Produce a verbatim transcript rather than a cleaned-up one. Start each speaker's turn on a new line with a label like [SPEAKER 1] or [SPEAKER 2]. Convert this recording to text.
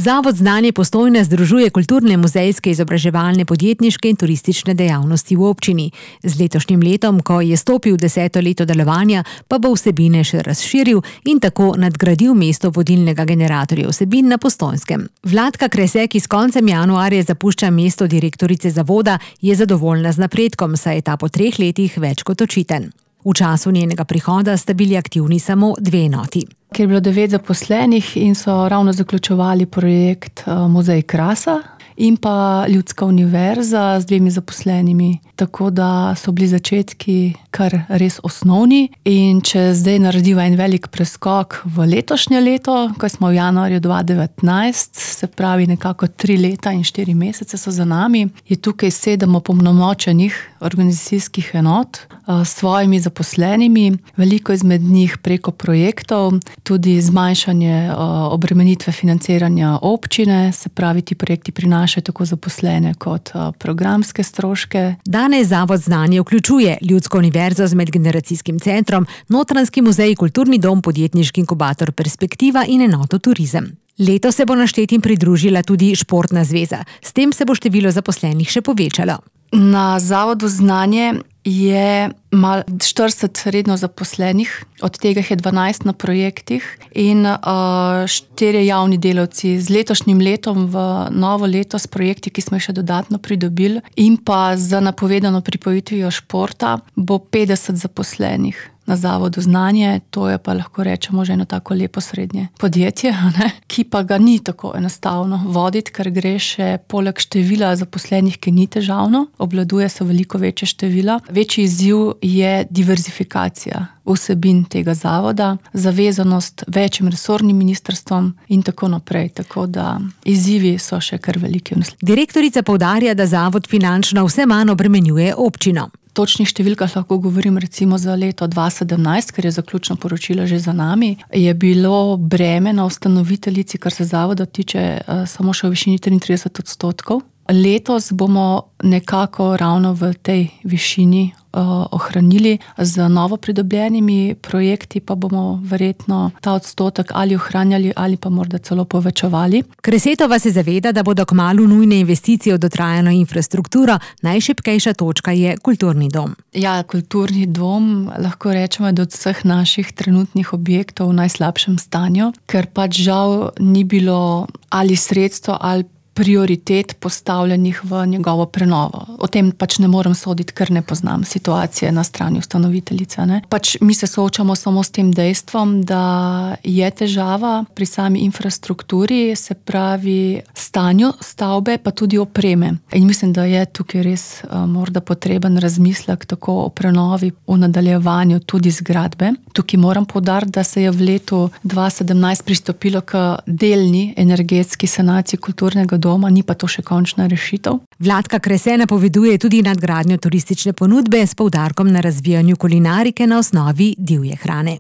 [SPEAKER 1] Zavod Znanje Postojna združuje kulturne, muzejske, izobraževalne, podjetniške in turistične dejavnosti v občini. Z letošnjim letom, ko je stopil deseto leto delovanja, pa bo vsebine še razširil in tako nadgradil mesto vodilnega generatorja vsebin na Postojnskem. Vladka Krese, ki s koncem januarja zapušča mesto direktorice zavoda, je zadovoljna z napredkom, saj je ta po treh letih več kot očiten. V času njenega prihoda sta bili aktivni samo dve enoti.
[SPEAKER 2] Ker je bilo devet zaposlenih in so ravno zaključevali projekt Muzej Krasa in pa Ljudska univerza z dvemi zaposlenimi. Tako da so bili začetki kar res osnovni in če zdaj narediva en velik preskok v letošnje leto, ko smo v januarju dva tisoč devetnajst, se pravi nekako tri leta in štiri mesece so za nami, je tukaj sedem opolnomočenih organizacijskih enot s svojimi zaposlenimi, veliko izmed njih preko projektov, tudi zmanjšanje obremenitve financiranja občine, se pravi ti projekti prinašajo tako zaposlene kot programske stroške.
[SPEAKER 1] Danes Zavod Znanje vključuje Ljudsko univerzo z medgeneracijskim centrom, Notranjski muzej, kulturni dom, podjetniški inkubator Perspektiva in enoto Turizem. Letos se bo naštetim pridružila tudi Športna zveza. S tem se bo število zaposlenih še povečalo.
[SPEAKER 2] Na Zavodu Znanje je malo štirideset redno zaposlenih, od tega je dvanajst na projektih in uh, štirje javni delavci. Z letošnjim letom v novo leto s projekti, ki smo jih še dodatno pridobili in pa z napovedano pripojitvijo športa, bo petdeset zaposlenih na Zavodu Znanje. To je pa lahko rečemo že eno tako lepo srednje podjetje, ne? Ki pa ga ni tako enostavno voditi, ker gre še poleg števila zaposlenih, ki ni težavno, obvladuje se veliko večje števila. Večji izziv je diverzifikacija vsebin tega zavoda, zavezanost večjim resornim ministrstvom in tako naprej. Tako da izzivi so še kar veliki.
[SPEAKER 1] Direktorica poudarja, da zavod finančno vse manj obremenjuje občino.
[SPEAKER 2] Točnih številkah lahko govorim recimo za leto dva tisoč sedemnajst, ker je zaključno poročilo že za nami, je bilo breme na ustanoviteljici, kar se zavoda tiče, samo še v višini triintrideset odstotkov. Letos bomo nekako ravno v tej višini uh, ohranili, z novo pridobljenimi projekti pa bomo verjetno ta odstotek ali ohranjali ali pa morda celo povečevali.
[SPEAKER 1] Kresetova se zaveda, da bodo kmalu nujne investicije v dotrajano infrastrukturo, najšibkejša točka je kulturni dom.
[SPEAKER 2] Ja, kulturni dom lahko rečemo, da od vseh naših trenutnih objektov v najslabšem stanju, ker pač žal ni bilo ali sredstvo ali prioritet postavljenih v njegovo prenovo. O tem pač ne morem soditi, ker ne poznam situacije na strani ustanoviteljice. Ne? Pač mi se soočamo samo s tem dejstvom, da je težava pri sami infrastrukturi, se pravi stanju stavbe, pa tudi opreme. In mislim, da je tukaj res uh, morda potreben razmislek tako o prenovi v nadaljevanju tudi zgradbe. Tukaj moram poudariti, da se je v letu dva tisoč sedemnajst pristopilo k delni energetski sanaciji kulturnega doma, ni pa to še končna rešitev.
[SPEAKER 1] Vladka Krese napoveduje tudi nadgradnjo turistične ponudbe s poudarkom na razvijanju kulinarike na osnovi divje hrane.